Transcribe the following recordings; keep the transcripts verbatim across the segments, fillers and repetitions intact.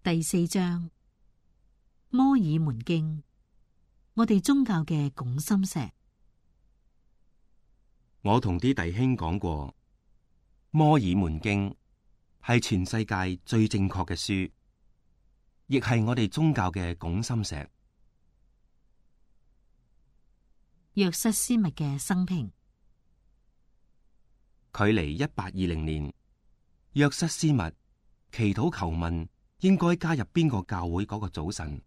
第四章，摩爾門經，我哋宗教嘅拱心石。我同啲弟兄講過，摩爾門經係全世界最正確嘅書，亦係我哋宗教嘅拱心石。約瑟斯密嘅生平。距離一八二零年，約瑟斯密祈禱求問應該加入邊個教會嗰個早晨，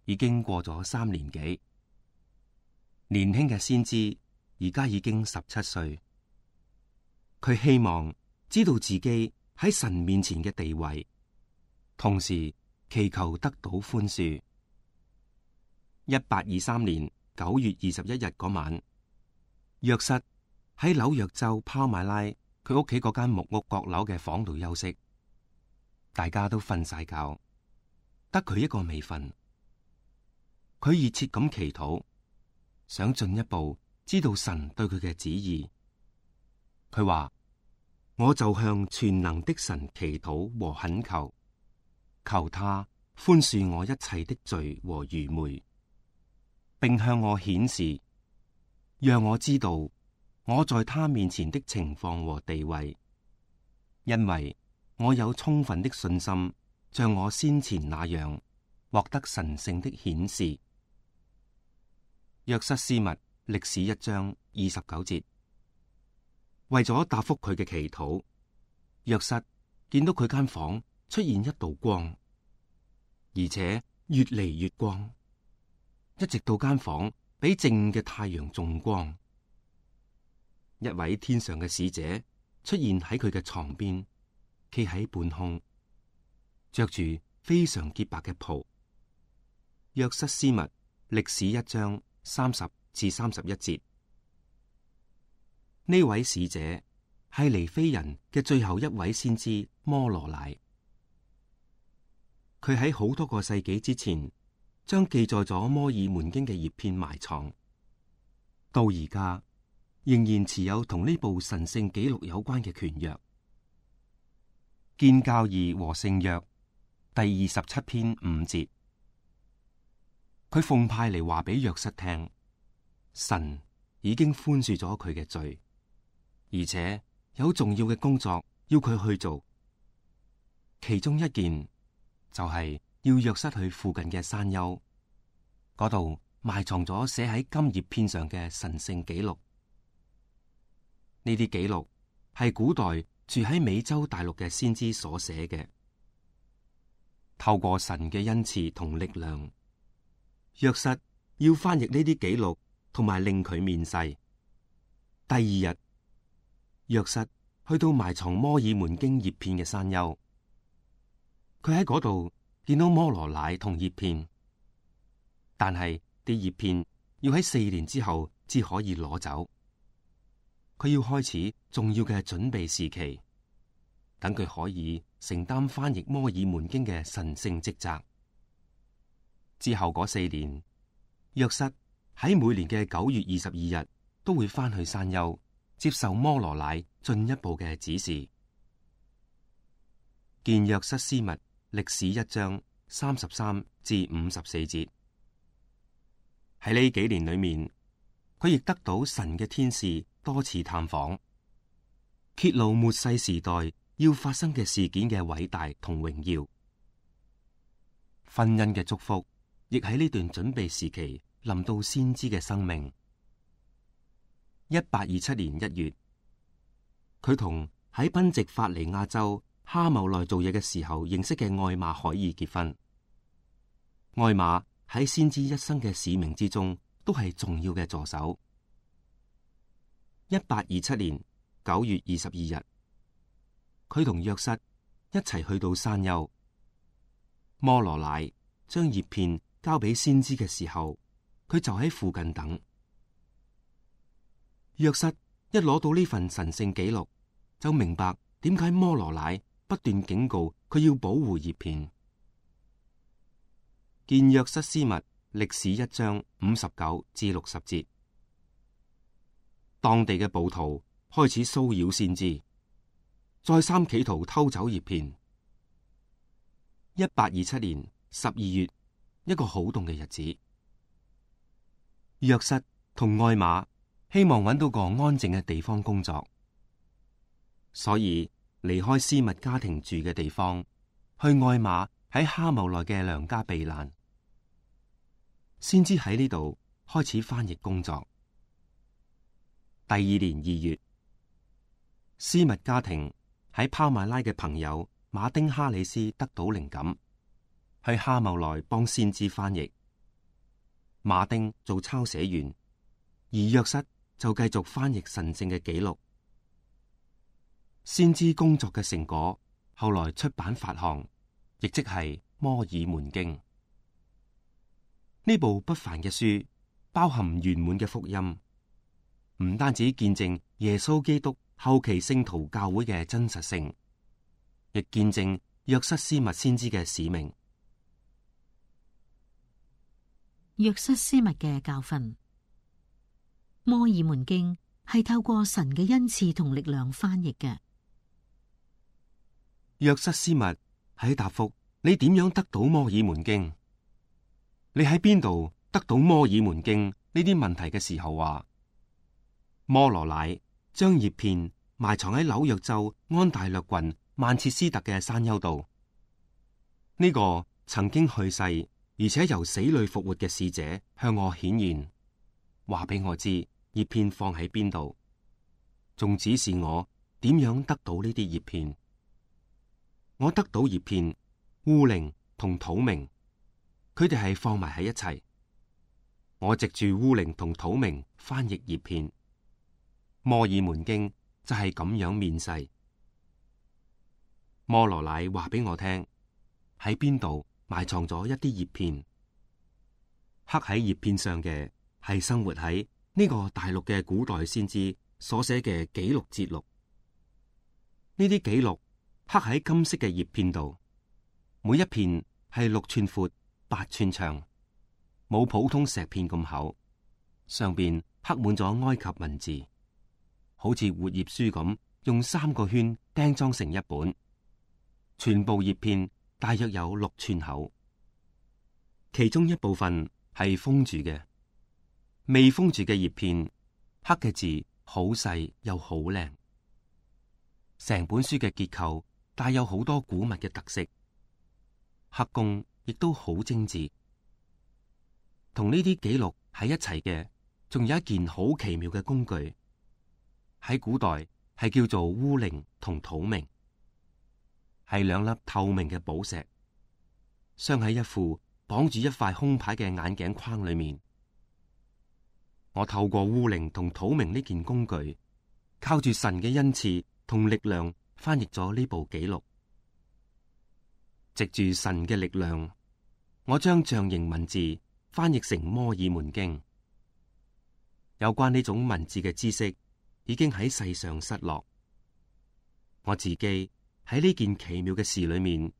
已經過咗三年幾。年輕嘅先知而家已經十七歲，佢希望知道自己喺神面前嘅地位，同時祈求得到寬恕。一八二三年九月二十一日嗰晚，約瑟喺紐約州拋馬拉佢屋企嗰間木屋閣樓嘅房度休息，大家都瞓晒覺，得佢一個未瞓。佢熱切咁祈禱，想進一步知道神對佢嘅旨意。佢話：我就向全能的神祈禱和懇求，求他寬恕我一切的罪和愚昧，並向我顯示，讓我知道我在他面前的情況和地位，因為我有充分的信心，像我先前那樣獲得神聖的顯示。約瑟斯密歷史一章二十九節。為咗答覆佢嘅祈禱，約瑟見到佢間房出現一道光，而且越嚟越光，一直到間房比正午嘅太陽仲光。一位天上嘅使者出現喺佢嘅床邊，企喺半空，着住非常潔白嘅袍。約瑟斯密歷史一章三十至三十一節。呢位使者係尼非人嘅最後一位先知摩羅乃。佢喺好多個世紀之前將記載咗摩爾門經嘅葉片埋藏，到而家仍然持有同呢部神聖紀錄有關嘅權約。建教義和聖約第二十七篇五節，佢奉派嚟話俾約瑟聽，神已經寬恕咗佢嘅罪，而且有重要嘅工作要佢去做。其中一件就係要約瑟去附近嘅山丘，嗰度埋藏咗寫喺金葉片上嘅神聖紀錄。呢啲紀錄係古代住喺美洲大陸嘅先知所寫嘅。透過神嘅恩賜同力量，約瑟要翻譯呢啲紀錄，同埋令佢面世。第二日，約瑟去到埋藏摩爾門經葉片嘅山丘，佢喺嗰度見到摩羅乃同葉片，但係啲葉片要喺四年之後至可以攞走。佢要開始重要嘅準備時期，等佢可以承擔翻譯摩爾門經嘅神聖職責。之後嗰四年，約瑟喺每年嘅九月二十二日都會翻去山丘，接受摩羅乃進一步嘅指示。見約瑟斯密歷史一章三十三至五十四節。喺呢幾年裏面，佢亦得到神嘅天使多次探訪，揭露末世時代要發生嘅事件嘅偉大同榮耀。婚姻嘅祝福亦喺呢段準備時期臨到先知嘅生命。一八二七年一月，佢同喺賓夕法尼亞州哈姆內做嘢嘅時候認識嘅愛瑪海爾結婚。愛瑪喺先知一生嘅使命之中都係重要嘅助手。一八二七年九月二十二日，佢同約瑟一齊去到山丘。摩羅乃將葉片交俾先知嘅時候，佢就喺附近等。約瑟一攞到呢份神聖紀錄，就明白點解摩羅乃不斷警告佢要保護葉片。見約瑟斯密歷史一章五十九至六十節。當地嘅暴徒開始騷擾先知，再三企圖偷走葉片。一八二七年十二月，一個好凍嘅日子。約瑟同愛瑪希望揾到個安靜嘅地方工作，所以離開斯密家庭住嘅地方，去愛瑪喺哈姆內嘅娘家避難。先知喺呢度開始翻譯工作。第二年二月，斯密家庭喺拋馬拉嘅朋友馬丁哈里斯得到靈感，去哈姆內幫先知翻譯。馬丁做抄寫員，而約瑟就繼續翻譯神聖嘅記錄。先知工作嘅成果後來出版發行，亦即係《摩爾門經》。呢部不凡嘅書包含圓滿嘅福音，唔單止見證耶穌基督後期聖徒教會嘅真實性，亦見證約瑟斯密先知嘅使命。約瑟斯密嘅教訓，《摩爾門經》係透過神嘅恩賜同力量翻譯嘅。約瑟斯密喺答覆你點樣得到《摩爾門經》？你喺邊度得到《摩爾門經》呢啲問題嘅時候話，摩羅乃將葉片埋藏喺紐約州安大略郡曼徹斯特嘅山丘度。呢、這個曾經去世而且由死裏復活嘅使者向我顯現，話俾我知葉片放喺邊度，仲指示我點樣得到呢啲葉片。我得到葉片、烏靈同土明。佢哋係放埋喺一齊，我藉住烏靈同土明翻譯葉片。摩爾門經就係咁樣面世。摩羅乃話俾我聽，喺邊度埋藏咗一啲葉片，刻喺葉片上嘅係生活喺呢個大陸嘅古代先知所寫嘅記錄節錄。呢啲記錄刻喺金色嘅葉片度，每一片係六寸闊、八寸長，冇普通石片咁厚，上邊刻滿咗埃及文字，好似活頁書咁，用三個圈釘裝成一本。全部葉片大約有六寸厚，其中一部分係封住嘅，未封住嘅葉片刻嘅字好細又好靚。成本書嘅結構帶有好多古物嘅特色，刻工亦都好精緻。同呢啲記錄喺一齊嘅，仲有一件好奇妙嘅工具，喺古代係叫做烏靈同土明，係兩粒透明嘅寶石，鑲喺一副綁住一塊空牌嘅眼鏡框裏面。我透過烏靈同土明呢件工具，靠住神嘅恩賜同力量，翻譯咗呢部記錄。藉住神嘅力量，我將象形文字翻譯成摩爾門經。有關呢種文字嘅知識已經喺世上失落。我自己喺呢件奇妙嘅事裏面，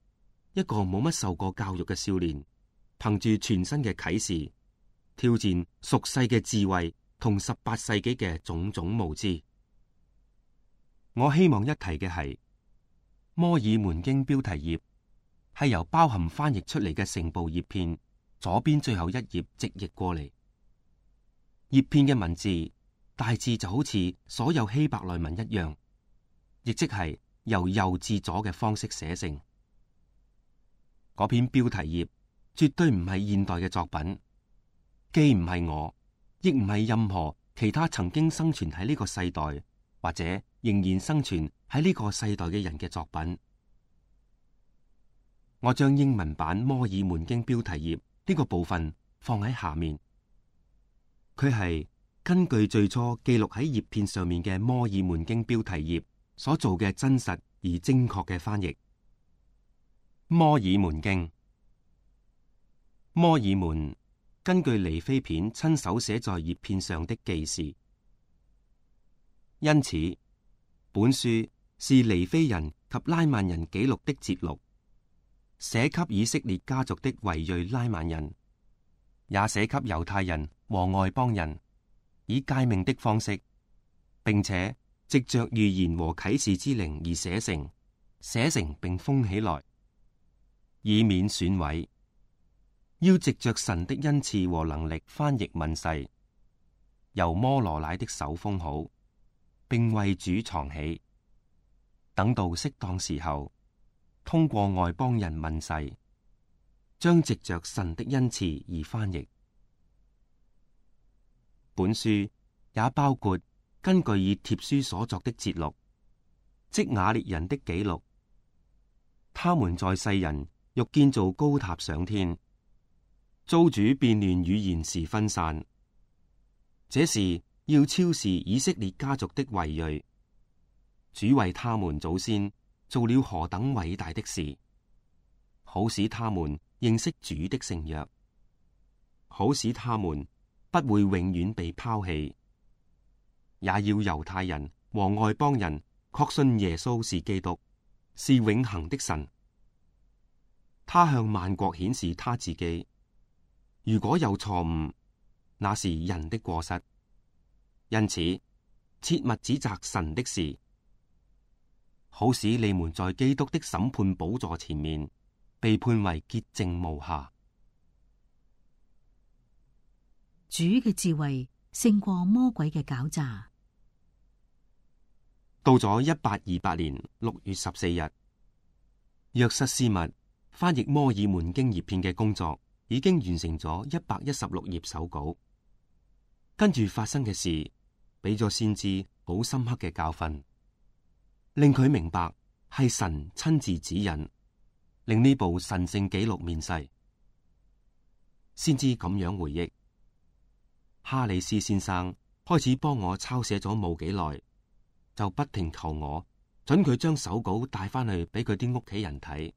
一個冇乜受過教育嘅少年，憑住全新嘅啟示，挑戰俗世嘅智慧同十八世紀嘅種種無知。我希望一提嘅係摩爾門經標題頁係由包含翻譯出嚟嘅成部葉片左邊最後一頁直譯過嚟。葉片嘅文字大致就好似所有希伯來文一樣，亦即係由右至左嘅方式寫成。嗰篇標題頁絕對唔係現代嘅作品，既唔係我，亦唔係任何其他曾經生存喺呢個世代或者仍然生存喺呢個世代嘅人嘅作品。我將英文版摩爾門經標題頁呢個部分放喺下面，佢係根據最初記錄喺葉片上面嘅摩爾門經標題頁所做嘅真實而精確嘅翻譯。摩爾門經，摩爾門根據尼非片親手寫在葉片上的記事，因此本書是尼非人及拉曼人記錄的節錄，寫給以色列家族的維裔拉曼人，也寫給猶太人和外邦人，以誡命的方式，並且藉着預言和啟示之靈而寫成，寫成並封起來。以免損毀。要藉着神的恩賜和能力翻譯問世，由摩羅乃的手封好，並為主藏起，等到適當時候，通過外邦人問世，將藉着神的恩賜而翻譯。本書也包括根據以帖書所作的節錄，即雅列人的記錄。他們在世人欲建造高塔上天，遭主變亂語言時分散。這是要超視以色列家族的遺裔。主為他們祖先做了何等偉大的事，好使他們認識主的聖約，好使他們不會永遠被拋棄，也要猶太人和外邦人確信耶穌是基督，是永恆的神。他向萬國顯示他自己。如果有錯誤，那是人的過失，因此切勿指責神的事，好使你們在基督的審判寶座前面被判為潔淨無瑕。主嘅智慧勝過魔鬼嘅狡詐。到咗一八二八年六月十四日，約瑟斯密翻譯摩爾門經譯片嘅工作已經完成咗一百一十六頁手稿。跟住發生嘅事，俾咗先知好深刻嘅教訓，令佢明白係神親自指引，令呢部神聖紀錄面世。先知咁樣回憶：哈里斯先生開始幫我抄寫咗冇幾耐，就不停求我准佢將手稿帶翻去俾佢啲屋企人睇，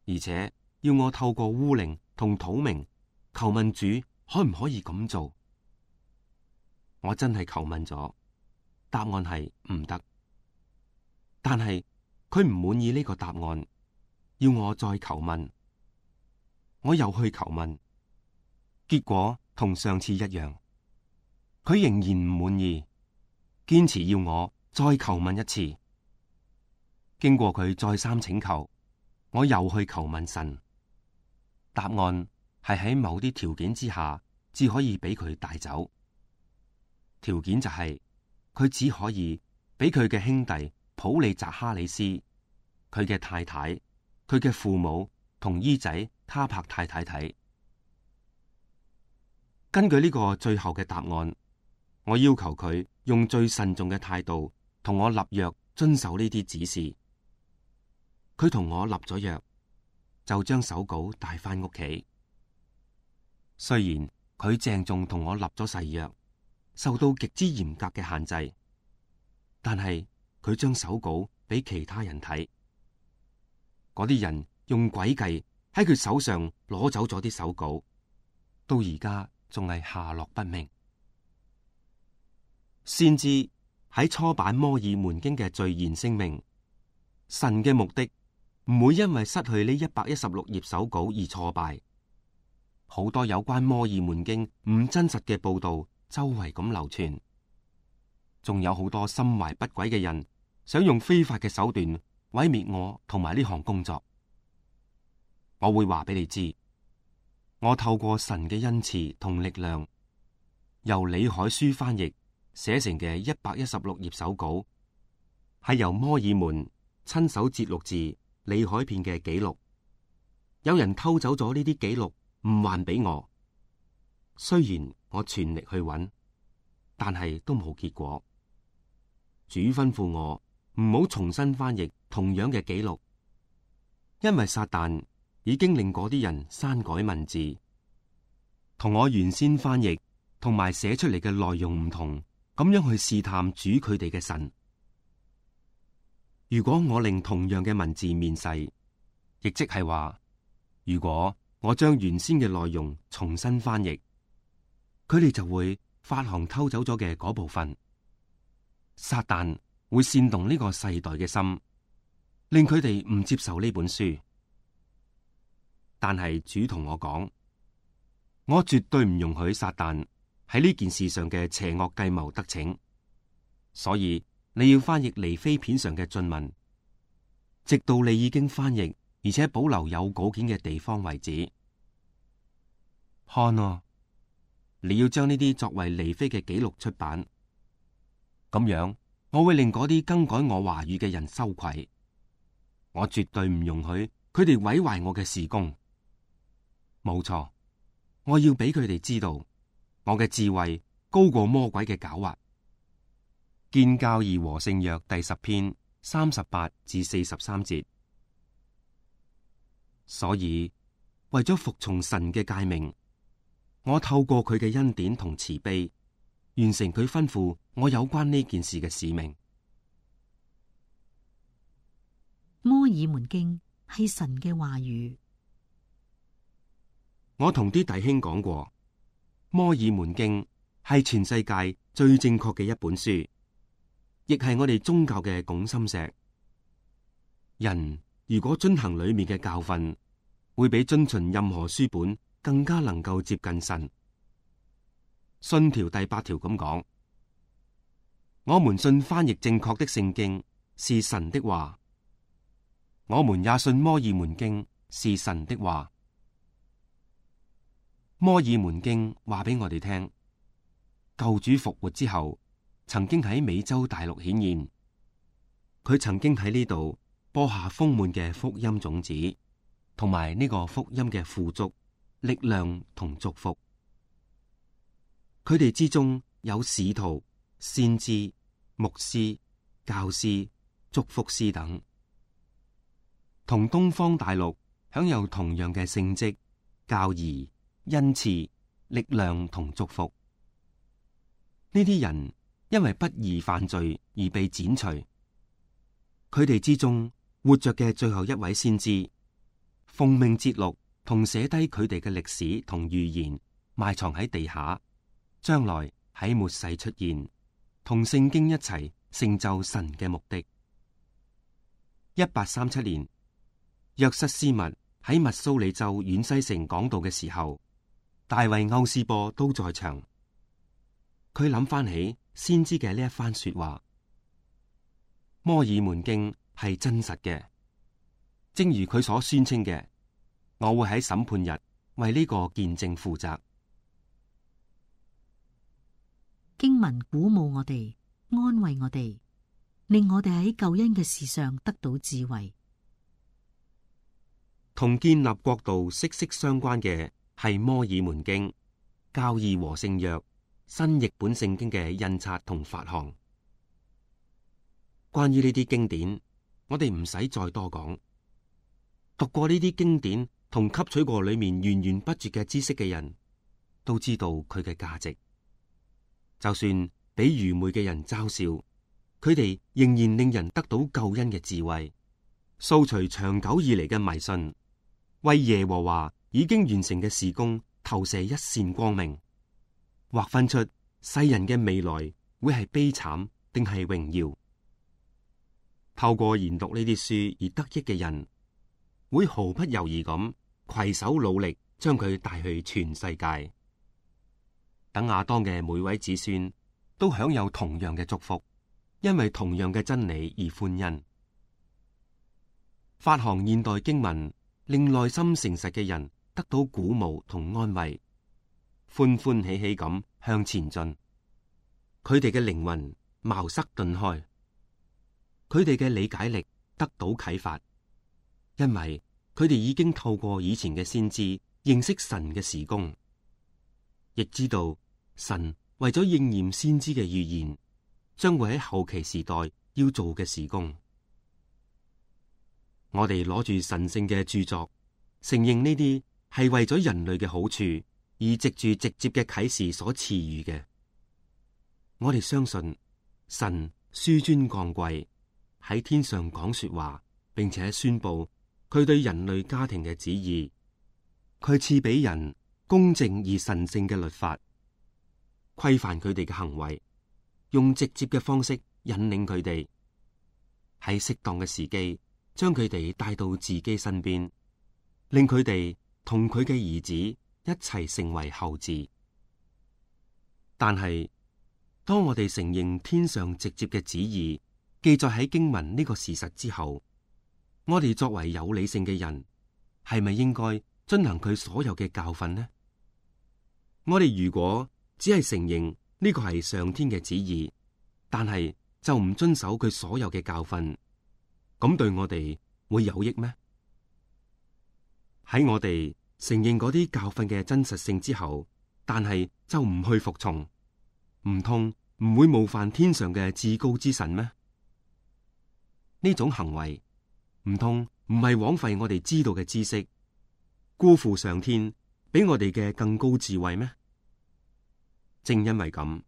而且要我透過烏靈同土明求問主可唔可以咁做。我真係求問咗，答案係唔得。但係佢唔滿意呢個答案，要我再求問。我又去求問，結果同上次一樣，佢仍然唔滿意，堅持要我再求問一次。經過佢再三請求，我又去求問神，答案係喺某啲條件之下，只可以俾佢帶走。條件就係、是、佢只可以俾佢嘅兄弟普利扎哈里斯、佢嘅太太、佢嘅父母同姨仔他柏太太睇。根據呢個最後嘅答案，我要求佢用最慎重嘅態度同我立約，遵守呢啲指示。佢同我立咗約，就將手稿帶翻屋企。雖然佢鄭重同我立咗誓約，受到極之嚴格嘅限制，但係佢將手稿俾其他人睇，嗰啲人用詭計喺佢手上攞走咗啲手稿，到而家仲係下落不明。先知喺初版摩爾門經嘅序言聲明，神嘅目的唔會因為失去呢一百一十六頁手稿而挫敗。好多有關摩爾門經唔真實嘅報道周圍咁流傳，仲有好多心懷不軌嘅人想用非法嘅手段毀滅我同埋呢項工作。我會話俾你知，我透過神嘅恩賜同力量，由李海書翻譯寫成嘅一百一十六頁手稿，係由摩爾門親手節錄自李海片嘅記錄。有人偷走咗呢啲記錄，唔還俾我。雖然我全力去揾，但係都冇結果。主吩咐我唔好重新翻譯同樣嘅記錄，因為撒旦已經令嗰啲人刪改文字，同我原先翻譯同埋寫出嚟嘅內容唔同，咁樣去試探主佢哋嘅神。如果我令同樣嘅文字面世，亦即係話，如果我將原先嘅內容重新翻譯，佢哋就會發行偷走咗嘅嗰部分。撒旦會煽動呢個世代嘅心，令佢哋唔接受呢本書。但係主同我講，我絕對唔容許撒旦喺呢件事上嘅邪惡計謀得逞。所以你要翻譯尼非片上嘅進文，直到你已經翻譯而且保留有稿件嘅地方為止。看啊，你要將呢啲作為尼非嘅記錄出版，咁樣我會令嗰啲更改我話語嘅人羞愧。我絕對唔容許佢哋毀壞我嘅事工。冇錯，我要俾佢哋知道，我嘅智慧高過魔鬼嘅狡猾。建教義和聖約第十篇三十八至四十三節。所以為咗服從神嘅誡命，我透過佢嘅恩典同慈悲，完成佢吩咐我有關呢件事嘅使命。摩爾門經係神嘅話語。我同啲弟兄講過，摩爾門經係全世界最正確嘅一本書，亦係我哋宗教嘅拱心石。人如果遵行裏面嘅教訓，會比遵循任何書本更加能夠接近神。信條第八條咁講：我們信翻譯正確的聖經是神的話，我們也信摩爾門經是神的話。摩爾門經話俾我哋聽，救主復活之後，曾經喺美洲大陸顯現，佢曾經喺呢度播下豐滿嘅福音種子，同埋呢個福音嘅富足、力量同祝福。佢哋之中有使徒、先知、牧師、教師、祝福師等，同東方大陸享有同樣嘅聖職、教義、恩賜、力量同祝福。呢啲人因為不義犯罪而被剪除。佢哋之中活着嘅最後一位先知，奉命節錄同寫低佢哋嘅歷史同預言，埋藏喺地下，將來喺末世出現，同聖經一齊成就神嘅目的。一八三七年，約瑟斯密喺密蘇里州遠西城講道嘅時候，大衛歐斯波都在場。佢諗翻起先知嘅呢一番說話，摩爾門經係真實嘅，正如佢所宣稱嘅，我會喺審判日為呢個見證負責。經文鼓舞我哋，安慰我哋，令我哋喺救恩嘅事上得到智慧。同建立國度息息相關嘅係摩爾門經、教義和聖約、新譯本聖經嘅印刷同發行。關於呢啲經典，我哋唔使再多講。讀過呢啲經典同吸取過裏面源源不絕嘅知識嘅人，都知道佢嘅價值。就算俾愚昧嘅人嘲笑，佢哋仍然令人得到救恩嘅智慧，掃除長久以嚟嘅迷信，為耶和華已經完成嘅事工投射一線光明，劃分出世人嘅未來會係悲慘定係榮耀。透過研讀呢啲書而得益嘅人，會毫不猶豫咁攜手努力，將佢帶去全世界。等亞當嘅每位子孫都享有同樣嘅祝福，因為同樣嘅真理而歡欣。發行現代經文，令內心誠實嘅人得到鼓舞同安慰，歡歡喜喜咁向前進。佢哋嘅靈魂茅塞頓開，佢哋嘅理解力得到啟發，因為佢哋已經透過以前嘅先知認識神嘅事工，亦知道神為咗應驗先知嘅預言，將會喺後期時代要做嘅事工。我哋攞住神聖嘅著作，承認呢啲係為咗人類嘅好處，而藉住直接嘅啟示所賜予嘅。我哋相信神紆尊降貴，喺天上講說話，並且宣布佢對人類家庭嘅旨意。佢賜俾人公正而神聖嘅律法，規範佢哋嘅行為，用直接嘅方式引領佢哋，喺適當嘅時機將佢哋帶到自己身邊，令佢哋同佢嘅兒子一齊成為後嗣。但係當我哋承認天上直接嘅旨意記載喺經文呢個事實之後，我哋作為有理性嘅人，係咪應該遵行佢所有嘅教訓呢？我哋如果只係承認呢個係上天嘅旨意，但係就唔遵守佢所有嘅教訓，咁對我哋會有益咩？喺我哋承認嗰啲教訓嘅真實性之後，但係就唔去服從，唔通唔會冒犯天上嘅至高之神咩？呢種行為唔通唔係枉費我哋知道嘅知識，辜負上天俾我哋嘅更高智慧咩？正因為咁，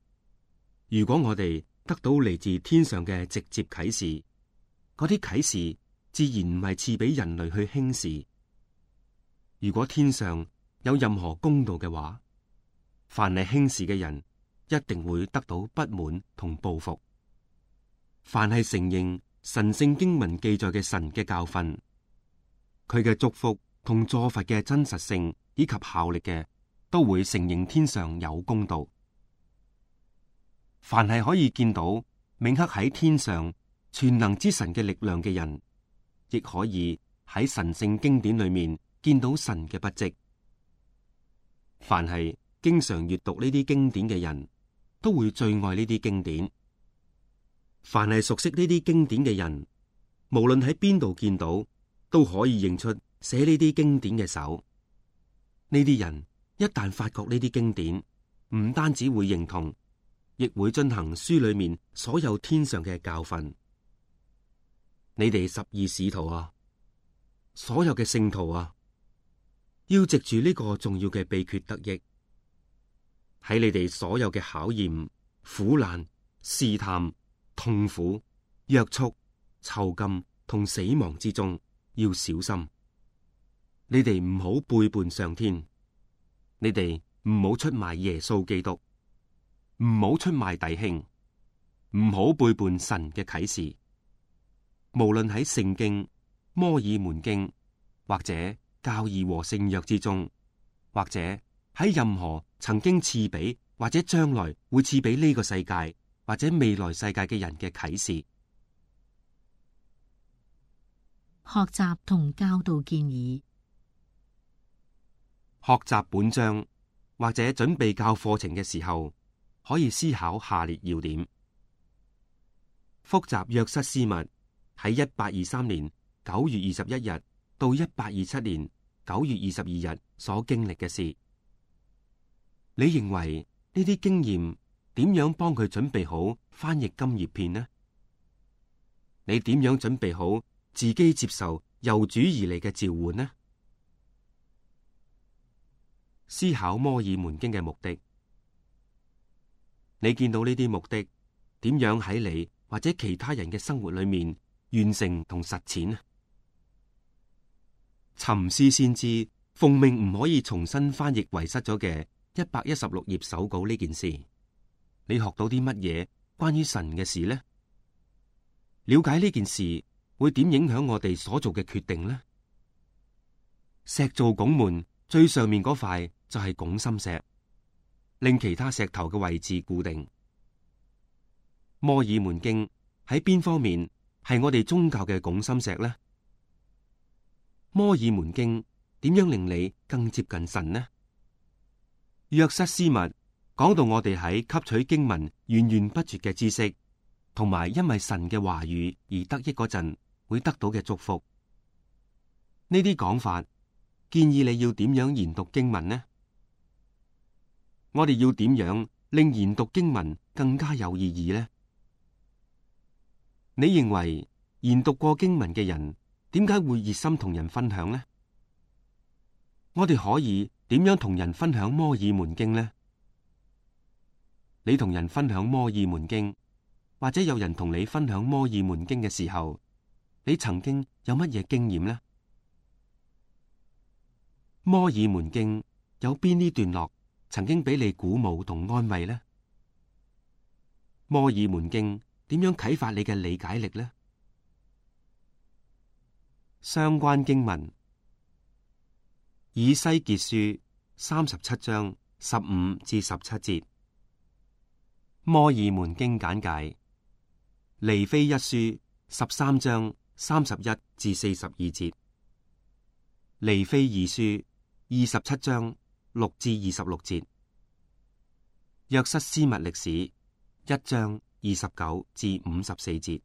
如果我哋得到嚟自天上嘅直接啟示，嗰啲啟示自然唔係賜俾人類去輕視。如果天上有任何公道嘅話，凡係輕視嘅人一定會得到不滿同報復。凡係承認神聖經文記載嘅神嘅教訓，佢嘅祝福同助罰嘅真實性以及效力嘅，都會承認天上有公道。凡係可以見到銘刻喺天上全能之神嘅力量嘅人，亦可以喺神聖經典裏面見到神嘅筆跡。凡係經常閱讀呢啲經典嘅人，都會最愛呢啲經典。凡係熟悉呢啲經典嘅人，無論喺邊度見到，都可以認出寫呢啲經典嘅手。呢啲人一旦發覺呢啲經典，唔單止會認同，亦會進行書裏面所有天上嘅教訓。你哋十二使徒啊，所有嘅聖徒啊，要藉住呢個重要嘅秘訣得益，喺你哋所有嘅考驗、苦難、試探、痛苦、約束、囚禁同死亡之中，要小心。你哋唔好背叛上天，你哋唔好出賣耶穌基督，唔好出賣弟兄，唔好背叛神嘅啟示。無論喺聖經、摩爾門經或者教義和聖約之中，或者喺任何曾經賜俾或者將來會賜俾呢個世界或者未來世界嘅人嘅啟示。學習同教導建議。學習本章或者準備教課程嘅時候，可以思考下列要點：複習約瑟斯密喺一八二三年九月二十一日到一八二七年九月二十二日所經歷嘅事，你認為呢啲經驗點樣幫佢準備好翻譯金葉片呢？你點樣準備好自己接受由主而嚟嘅召喚呢？思考摩爾門經嘅目的，你見到呢啲目的點樣喺你或者其他人嘅生活裏面完成同實踐呢？沉思先知奉命唔可以重新翻譯遺失咗嘅一百一十六頁手稿呢件事，你學到啲乜嘢關於神嘅事呢？了解呢件事會點影響我哋所做嘅決定呢？石造拱門最上面嗰塊就係拱心石，令其他石頭嘅位置固定。摩爾門經喺邊方面係我哋宗教嘅拱心石呢？摩爾門經點樣令你更接近神呢？約瑟斯密講到我哋喺吸取經文源源不絕嘅知識，同埋因為神嘅話語而得益嗰陣會得到嘅祝福。呢啲講法建議你要點樣研讀經文呢？我哋要點樣令研讀經文更加有意義呢？你認為研讀過經文嘅人點解會熱心同人分享呢？我哋可以點樣同人分享摩爾門經呢？你同人分享摩爾門經，或者有人同你分享摩爾門經嘅時候，你曾經有乜嘢經驗呢？摩爾門經有邊啲段落曾經俾你鼓舞同安慰呢？摩爾門經點樣啟發你嘅理解力呢？相關經文：以西結書三十七章十五至十七節，摩爾門經簡介；尼非一書十三章三十一至四十二節，尼非二書二十七章六至二十六節，約瑟斯密歷史一章二十九至五十四節。